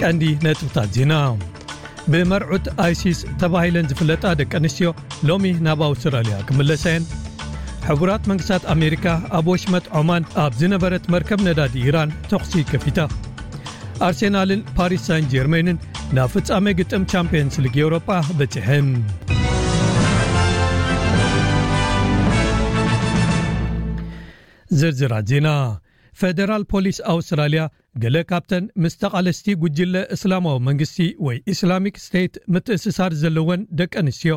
ቀንዲ ነጥብታት ዜና። ብመርዑት ኣይሲስ ተባሂለን ዝፍለጣ ደቂ ኣንስትዮ ሎሚ ናብ ኣውስትራልያ ክምለሳ እየን። ሕቡራት መንግስታት ኣሜሪካ ኣብ ወሽመጥ ዖማን ኣብ ዝነበረት መርከብ ነዳዲ ኢራን ተኹሲ ከፊታ። ኣርሴናልን ፓሪስ ሳን ጀርሜንን ናብ ፍጻሜ ግጥም ቻምፒየንስ ሊግ ኤውሮጳ በጺሐን። ዝርዝራት ዜና። ፈደራል ፖሊስ ኣውስትራልያ ገለ ካብተን ምስ ተቓለስቲ ጉጅለ እስላማዊ መንግስቲ ወይ ኢስላሚክ ስቴት ምትእስሳር ዘለወን ደቂ ኣንስትዮ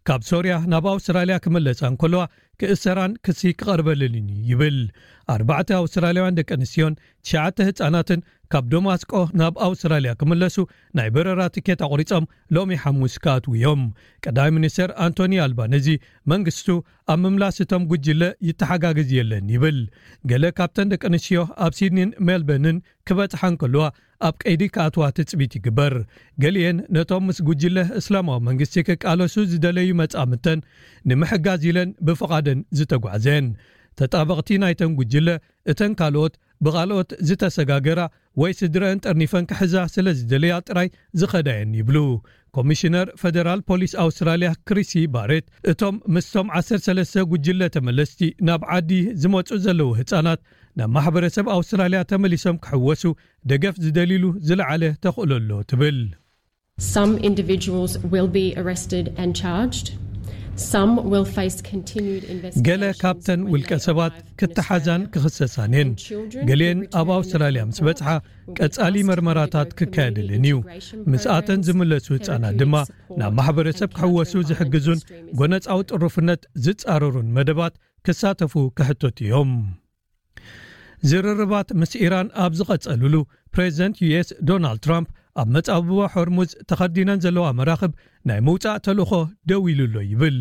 ካብ ሶርያ ናብ ኣውስትራልያ ክምለሳ እንከለዋ ክእሰራን ክሲ ክቐርበለንን እዩ ይብል። ኣርባዕተ ኣውስትራልያውያን ደቂ ኣንስትዮን ትሽዓተ ህጻናትን ካብ ደማስቆ ናብ ኣውስትራልያ ክምለሱ ናይ በረራ ትኬት ኣቑሪጾም ሎሚ ሓሙስ ክኣትዉ እዮም። ቀዳማይ ሚኒስተር ኣንቶኒ ኣልባነዚ መንግስቱ ኣብ ምምላስ እቶም ጉጅለ ይተሓጋገዝ የለን ይብል። ገለ ካብተን ደቂ ኣንስትዮ ኣብ ሲድኒን ሜልበርንን ክበጽሓ እንከለዋ ኣብ ቀይዲ ክኣትዋ ትጽቢት ይግበር። ገሊኤን ነቶም ምስ ጉጅለ እስላማዊ መንግስቲ ክቃለሱ ዝደለዩ መጻምድተን ንምሕጋዝ ኢለን ብፍቓደን ዝተጓዕዘን። ተጣበቕቲ ናይተን ጉጅለ እተን ካልኦት ብኻልኦት ዝተሰጋገራ ወይ ስድረአን ጠርኒፈን ክሕዛ ስለ ዝደለያ ጥራይ ዝኸዳየን ይብሉ። ኮሚሽነር ፈደራል ፖሊስ ኣውስትራልያ ክሪሲ ባሬት እቶም ምስቶም ዓሰርተ ሰለስተ ጉጅለ ተመለስቲ ናብ ዓዲ ዝመጹ ዘለዉ ህጻናት ናብ ማሕበረሰብ ኣውስትራልያ ተመሊሶም ክሕወሱ ደገፍ ዝደልይሉ ዝለዓለ ተኽእሎ ኣሎ ትብል። Some individuals will be arrested and charged. Some will face continued ገለ ካብተን ውልቀ ሰባት ክተሓዛን ክኽሰሳን እየን። ገሊአን ኣብ ኣውስትራልያ ምስ በጽሓ ቀጻሊ መርመራታት ክካየደለን እዩ። ምስኣተን ዝምለሱ ህጻናት ድማ ናብ ማሕበረሰብ ክሕወሱ ዝሕግዙን ጎነጻዊ ጥሩፍነት ዝጻረሩን መደባት ክሳተፉ ክሕተቱ እዮም። ዝርርባት ምስ ኢራን ኣብ ዝቐጸሉሉ ፕሬዚደንት ዩ ኤስ ዶናልድ ትራምፕ ኣብ መጻብቦ ሆርሙዝ ተኸርዲነን ዘለዋ መራኽብ ናይ ምውጻእ ተልእኾ ደው ኢሉ ኣሎ ይብል።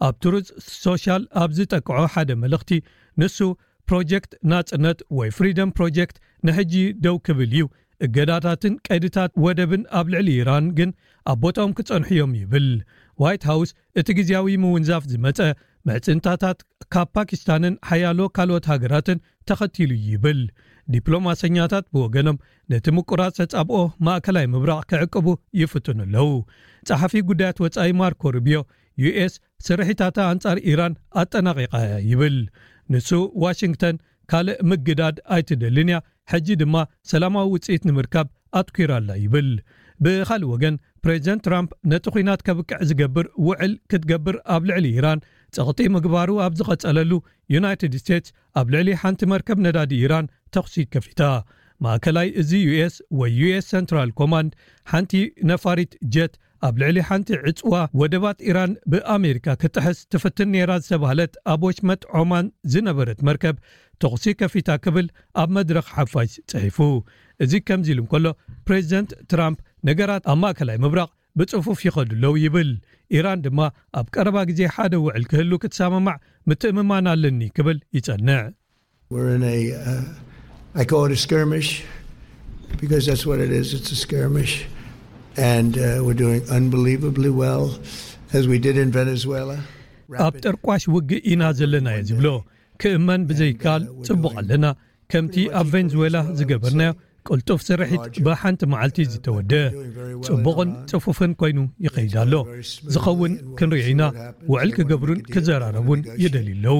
ኣብ ትሩዝ ሶሻል ኣብ ዝጠቅዖ ሓደ መልእኽቲ ንሱ ፕሮጀክት ናጽነት ወይ ፍሪደም ፕሮጀክት ንሕጂ ደው ክብል እዩ። እገዳታትን ቀይድታት ወደብን ኣብ ልዕሊ ኢራን ግን ኣብ ቦታኦም ክጸንሑ እዮም ይብል። ዋይት ሃውስ እቲ ግዜያዊ ምውንዛፍ ዝመጸ ምዕጽንታታት ካብ ፓኪስታንን ሓያሎ ካልኦት ሃገራትን ተኸቲሉ ይብል። ዲፕሎማሰኛታት ብወገኖም ነቲ ምቁራጽ ተጻብኦ ማእከላይ ምብራቕ ክዕቅቡ ይፍትኑ ኣለዉ። ጸሓፊ ጉዳያት ወጻኢ ማርኮ ሩቢዮ ዩ ኤስ ስርሒታታ ኣንጻር ኢራን ኣጠናቒቓ እያ ይብል። ንሱ ዋሽንግተን ካልእ ምግዳድ ኣይትደልን እያ፣ ሕጂ ድማ ሰላማዊ ውጽኢት ንምርካብ ኣትኲራ ኣላ ይብል። ብኻልእ ወገን ፕሬዚደንት ትራምፕ ነቲ ኲናት ከብቅዕ ዝገብር ውዕል ክትገብር ኣብ ልዕሊ ኢራን ጸቕጢ ምግባሩ ኣብ ዝቐጸለሉ ዩናይትድ ስቴትስ ኣብ ልዕሊ ሓንቲ መርከብ ነዳዲ ኢራን ተኹሲ ከፊታ። ማእከላይ እዚ ዩ ኤስ ወይ ዩ ኤስ ሰንትራል ኮማንድ ሓንቲ ነፋሪት ጀት ኣብ ልዕሊ ሓንቲ ዕጽዋ ወደባት ኢራን ብኣሜሪካ ክትጥሕስ ትፍትን ነይራ ዝተባህለት ኣብ ወሽመጥ ዖማን ዝነበረት መርከብ ተኹሲ ከፊታ ክብል ኣብ መድረኽ ሓፋሽ ጽሒፉ። እዚ ከምዚ ኢሉ እንከሎ ፕሬዚደንት ትራምፕ ነገራት ኣብ ማእከላይ ምብራቕ ብጽፉፍ ይኸዱ ኣለዉ ይብል። ኢራን ድማ ኣብ ቀረባ ግዜ ሓደ ውዕል ክህሉ ክትሰማማዕ ምትእምማን ኣለኒ ክብል ይጸንዕ። We're in a, uh, I call it a skirmish because that's what it is. It's a skirmish. And uh, we're doing unbelievably well, as we did in Venezuela. ኣብ ጠርቋሽ ውግእ ኢና ዘለና እየ ዝብሎ። ክእመን ብዘይከኣል ጽቡቕ ኣለና። ከምቲ ኣብ ቬንዙዌላ ዝገበርናዮ ቅልጡፍ ስርሒት ብሓንቲ መዓልቲ ዝተወደ ጽቡቕን ጽፉፍን ኮይኑ ይኸይድ ኣሎ። ዝኸውን ክንሪኦ ኢና። ውዕል ክገብሩን ክዘራረቡን ይደልዩ ኣለዉ።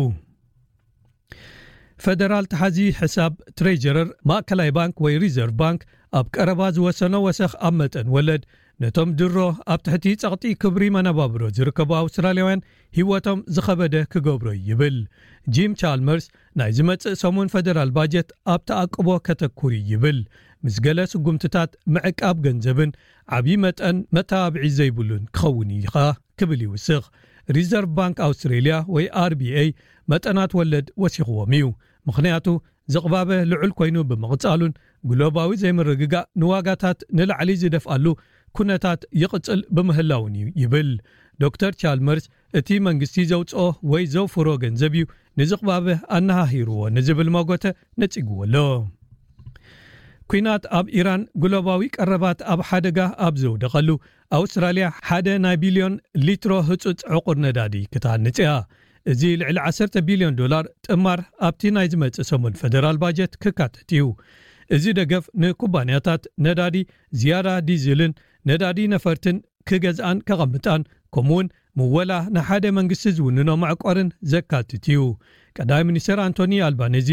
ፈደራል ተሓዚ ሕሳብ ትሬጀረር ማእከላይ ባንክ ወይ ሪዘርቭ ባንክ ኣብ ቀረባ ዝወሰኖ ወሰኽ ኣብ መጠን ወለድ ነቶም ድሮ ኣብ ትሕቲ ጸቕጢ ክብሪ መነባብሮ ዝርከቡ ኣውስትራልያውያን ህይወቶም ዝኸበደ ክገብሮ እዩ ይብል። ጂም ቻልመርስ ናይ ዝመጽእ ሰሙን ፈደራል ባጀት ኣብ ተኣቅቦ ከተኩር እዩ ይብል። ምስ ገለ ስጉምትታት ምዕቃብ ገንዘብን ዓብዪ መጠን መተባብዒ ዘይብሉን ክኸውን እዩ ኸኣ ክብል ይውስኽ። ሪዘርቭ ባንክ ኣውስትሬልያ ወይ ኣር ቢ ኤ መጠናት ወለድ ወሲኽዎም እዩ። ምኽንያቱ ዝቕባበ ልዑል ኮይኑ ብምቕጻሉን ግሎባዊ ዘይምርግጋእ ንዋጋታት ንላዕሊ ዝደፍኣሉ ኩነታት ይቕጽል ብምህላውን እዩ ይብል። ዶክተር ቻልመርስ እቲ መንግስቲ ዘውጽኦ ወይ ዘውፍሮ ገንዘብ እዩ ንዝቕባበ ኣነሃሂርዎ ንዝብል መጎተ ነጺግዎ ኣሎ። ኲናት ኣብ ኢራን ግሎባዊ ቀረባት ኣብ ሓደጋ ኣብ ዘውደቐሉ ኣውስትራልያ ሓደ ናይ ቢልዮን ሊትሮ ህጹጽ ዕቑር ነዳዲ ክትሃንጽ እያ። እዚ ልዕሊ ዓሰርተ ቢልዮን ዶላር ጥማር ኣብቲ ናይ ዝመጽእ ሰሙን ፈደራል ባጀት ክካተት እዩ። እዚ ደገፍ ንኩባንያታት ነዳዲ ዝያዳ ዲዝልን ነዳዲ ነፈርትን ክገዝኣን ከቐምጣን፣ ከምኡውን ምወላ ንሓደ መንግስቲ ዝውንኖ መዕቆርን ዘካትት እዩ። ቀዳማይ ሚኒስትር ኣንቶኒ ኣልባኔዚ፣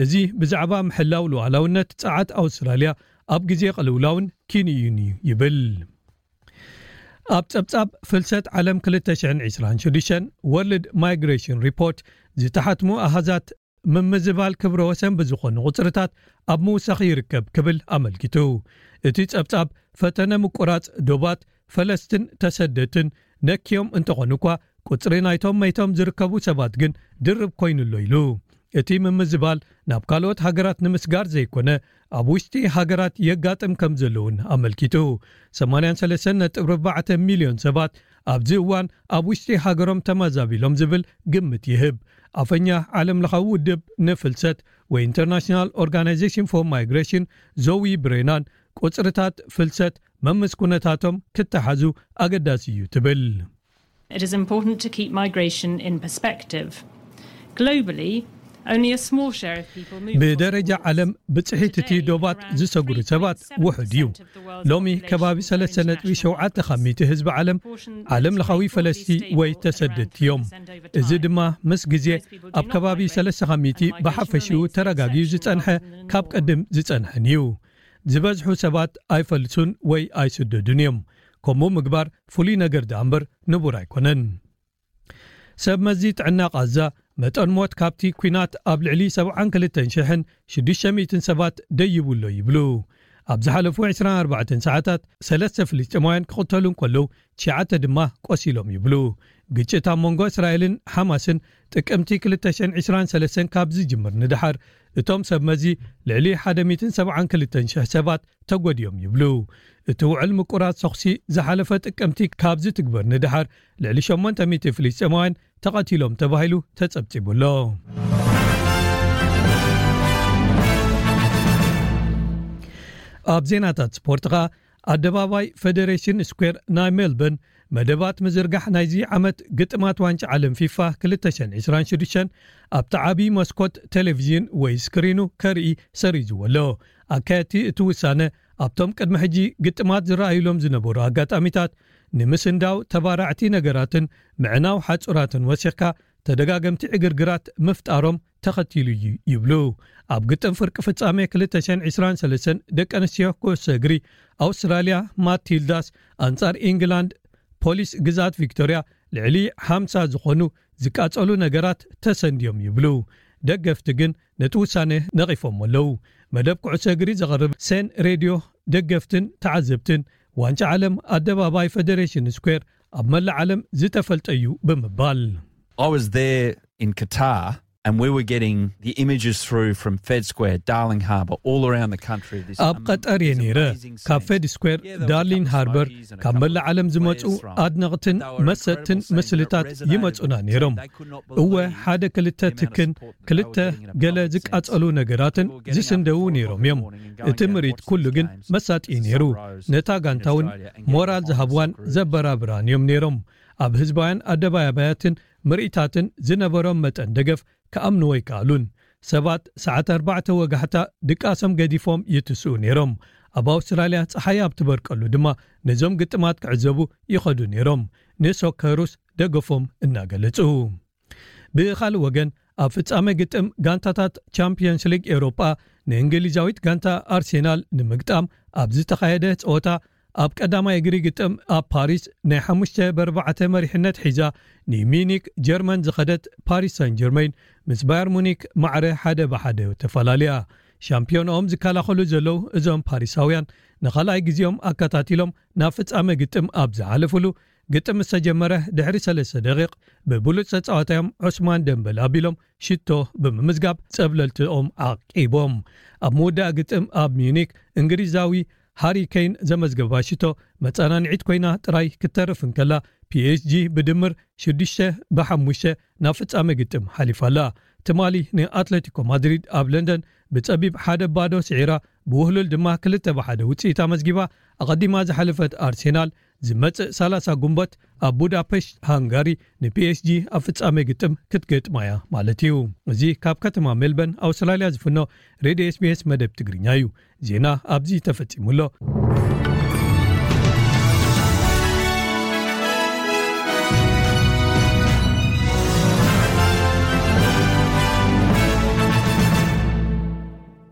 እዚ ብዛዕባ ምሕላው ሉዓላውነት ጸዓት ኣውስትራልያ ኣብ ግዜ ቅልውላውን ኪንዩን እዩ ይብል። ኣብ ጸብጻብ ፍልሰት ዓለም ክልተ ሽሕን ዕስራን ሽዱሽተን፣ ወርልድ ማይግሬሽን ሪፖርት፣ ዝተሓትሙ ኣሃዛት ምምዝባል ክብረ ወሰን ብዝኾኑ ቁጽርታት ኣብ ምውሳኽ ይርከብ ክብል ኣመልኪቱ። እቲ ጸብጻብ፣ ፈተነ ምቁራጽ ዶባት ፈለስትን ተሰደትን ነክዮም እንተኾኑ እኳ፣ ቁጽሪ ናይቶም መይቶም ዝርከቡ ሰባት ግን ድርብ ኮይኑ ኣሎ ኢሉ። እቲ ምምዝባል ናብ ካልኦት ሃገራት ንምስጋር ዘይኮነ፣ ኣብ ውሽጢ ሃገራት የጋጥም ከም ዘለውን ኣመልኪቱ። ሰማንያን ሰለስተን ነጥቢ ኣርባዕተ ሚልዮን ሰባት ኣብዚ እዋን ኣብ ውሽጢ ሃገሮም ተመዛቢሎም ዝብል ግምት ይህብ። ኣፈኛ ዓለም ለኻዊ ውድብ ንፍልሰት ወይ ኢንተርናሽናል ኦርጋናይዜሽን ፎር ማይግሬሽን፣ ዞዊ ብሬናን፣ ቁጽርታት ፍልሰት መምስ ኩነታቶም ክተሓዙ ኣገዳሲ እዩ ትብል። It is important to keep migration in perspective. Globally, only a small share of people move across ብደረጃ borders. ዓለም፣ ብጽሒት እቲ ዶባት ዝሰግሩ ሰባት ውሑድ እዩ። ሎሚ ከባቢ ሰለስተ ነጥቢ ሸውዓተ ካብ ሚእቲ ህዝቢ ዓለም ዓለም ለኻዊ ፈለስቲ ወይ ተሰደድቲ እዮም። እዚ ድማ ምስ ግዜ ኣብ ከባቢ ሰለስተ ካብ ሚእቲ ብሓፈሽኡ ተረጋጊኡ ዝጸንሐ፣ ካብ ቀድም ዝጸንሐን እዩ። ዝበዝሑ ሰባት ኣይፈልሱን ወይ ኣይስደዱን እዮም። ከምኡ ምግባር ፍሉይ ነገር ደኣ እምበር ንቡር ኣይኮነን። ሰብ መዚ ጥዕና ቃዛ፣ መጠን ሞት ካብቲ ኲናት ኣብ ልዕሊ ሰብዓን ክልተን ሽሕን ሽዱሽተ ሚእትን ሰባት ደይቡ ኣሎ ይብሉ። ኣብ ዝሓለፉ ዕስራን ኣርባዕተን ሰዓታት፣ ሰለስተ ፍልስጤማውያን ክቕተሉ እንከለዉ፣ ትሽዓተ ድማ ቆሲሎም ይብሉ። ግጭት ኣብ መንጎ እስራኤልን ሓማስን ጥቅምቲ ክልተ ሽሕን ዕስራን ሰለስተን ካብ ዝጅምር ንደሓር፣ እቶም ሰብ መዚ ልዕሊ ሓደ ሚእትን ሰብዓን ክልተን ሽሕ ሰባት ተጎድዮም ይብሉ። እቲ ውዕል ምቁራጽ ተኹሲ ዝሓለፈ ጥቅምቲ ካብ ዝትግበር ንደሓር፣ ልዕሊ ሸሞንተ ሚእቲ ፍልስጤማውያን ተቐቲሎም ተባሂሉ ተጸብጺቡ ኣሎ። ኣብ ዜናታት ስፖርት ኸኣ፣ ኣደባባይ ፌደሬሽን ስኩዌር ናይ ሜልበርን፣ መደባት ምዝርጋሕ ናይዚ ዓመት ግጥማት ዋንጫ ዓለም ፊፋ ክልተ ሽሕን ዕስራን ሽዱሽተን ኣብቲ ዓቢ መስኮት ቴሌቪዥን ወይ ስክሪኑ ከርኢ ሰሪዝዎ ኣሎ። ኣካየድቲ እቲ ውሳነ፣ ኣብቶም ቅድሚ ሕጂ ግጥማት ዝረኣዩሎም ዝነበሩ ኣጋጣሚታት፣ ንምስንዳው ተባራዕቲ ነገራትን ምዕናው ሓጹራትን ወሲኽካ፣ ተደጋገምቲ ዕግርግራት ምፍጣሮም ተኸቲሉ እዩ ይብሉ። ኣብ ግጥም ፍርቂ ፍጻሜ ክልተ ሽሕን ዕስራን ሰለስተን ደቂ ኣንስትዮ ኩዕሶ እግሪ፣ ኣውስትራልያ ማቲልዳስ ኣንጻር ኢንግላንድ ፖሊስ ግዝኣት ቪክቶርያ፣ ልዕሊ ሓምሳ ዝኾኑ ዝቃጸሉ ነገራት ተሰንድዮም ይብሉ። ደገፍቲ ግን ነቲ ውሳነ ነቒፎም ኣለዉ። መደብ ኩዕሶ እግሪ ዘቕርብ ሴን ሬድዮ፣ ደገፍትን ተዓዘብትን፣ ዋንጫ ዓለም ኣደባባይ ፌደሬሽን ስኩዌር ኣብ መላእ ዓለም ዝተፈልጠ እዩ ብምባል፣ I was there in Qatar and we were getting the images through from Fed Square, Darling Harbour, all around the country. This ኣብ ቀጠር እየ ነይረ። ካብ ፌድ ስኩዌር፣ ዳርሊን ሃርበር፣ ካብ መላእ ዓለም ዝመጹ ኣድነቕትን መሰጥትን ምስልታት ይመጹና ነይሮም። እወ፣ ሓደ ክልተ ትክን፣ ክልተ ገለ ዝቃጸሉ ነገራትን ዝስንደዉ ነይሮም እዮም። እቲ ምርኢት ኩሉ ግን መሳጢ ነይሩ። ነታ ጋንታ እውን ሞራል ዝሃብዋን ዘበራብራን እዮም ነይሮም። ኣብ ህዝባውያን ኣደባባያትን ምርኢታትን ዝነበሮም መጠን ደገፍ ክኣምንዎ ኣይከኣሉን። ሰባት ሰዓት ኣርባዕተ ወጋሕታ ድቃሶም ገዲፎም ይትስኡ ነይሮም። ኣብ ኣውስትራልያ ጸሓይ ኣብ ትበርቀሉ ድማ ነዞም ግጥማት ክዕዘቡ ይኸዱ ነይሮም፣ ንሶከሩስ ደገፎም እናገለጹ። ብኻልእ ወገን፣ ኣብ ፍጻመ ግጥም ጋንታታት ቻምፕዮንስ ሊግ ኤውሮጳ፣ ንእንግሊዛዊት ጋንታ ኣርሴናል ንምግጣም ኣብ ዝተኻየደ ጸወታ፣ ኣብ ቀዳማይ እግሪ ግጥም ኣብ ፓሪስ ናይ ሓሙሽተ ብኣርባዕተ መሪሕነት ሒዛ ንሚዩኒክ ጀርመን ዝኸደት ፓሪስ ሳን ጀርመን፣ ምስ ባየር ሙኒክ ማዕረ ሓደ ብሓደ ተፈላልያ። ሻምፒዮንኦም ዝከላኸሉ ዘለዉ እዞም ፓሪሳውያን፣ ንኻልኣይ ግዜኦም ኣከታቲሎም ናብ ፍጻመ ግጥም ኣብ ዝሓለፉሉ፣ ግጥም ምስ ተጀመረ ድሕሪ ሰለስተ ደቂቕ፣ ብብሉጽ ተጻዋታዮም ዑስማን ደምበል ኣቢሎም ሽቶ ብምምዝጋብ ጸብለልትኦም ዓቂቦም። ኣብ ምውዳእ ግጥም ኣብ ሚዩኒክ፣ እንግሊዛዊ ሃሪ ኬን ዘመዝገባ ሽቶ መጸናንዒት ኮይና ጥራይ ክትተርፍ እንከላ፣ ፒ ኤስ ጂ ብድምር ሽዱሽተ ብሓሙሽተ ናብ ፍጻመ ግጥም ሓሊፋ ኣላ። ትማሊ ንኣትሌቲኮ ማድሪድ ኣብ ለንደን ብጸቢብ ሓደ ባዶ ስዒራ፣ ብውህሉል ድማ ክልተ ብሓደ ውጽኢት ኣመዝጊባ። ኣቐዲማ ዝሓለፈት ኣርሴናል ዝመጽእ ሰላሳ ጉንበት ኣብ ቡዳፔሽት ሃንጋሪ ንፒኤስጂ ኣብ ፍጻሜ ግጥም ክትገጥማ እያ ማለት እዩ። እዚ ካብ ከተማ ሜልበርን ኣውስትራልያ ዝፍኖ ሬድዮ ኤስቢኤስ መደብ ትግርኛ እዩ። ዜና ኣብዚ ተፈጺሙ ኣሎ።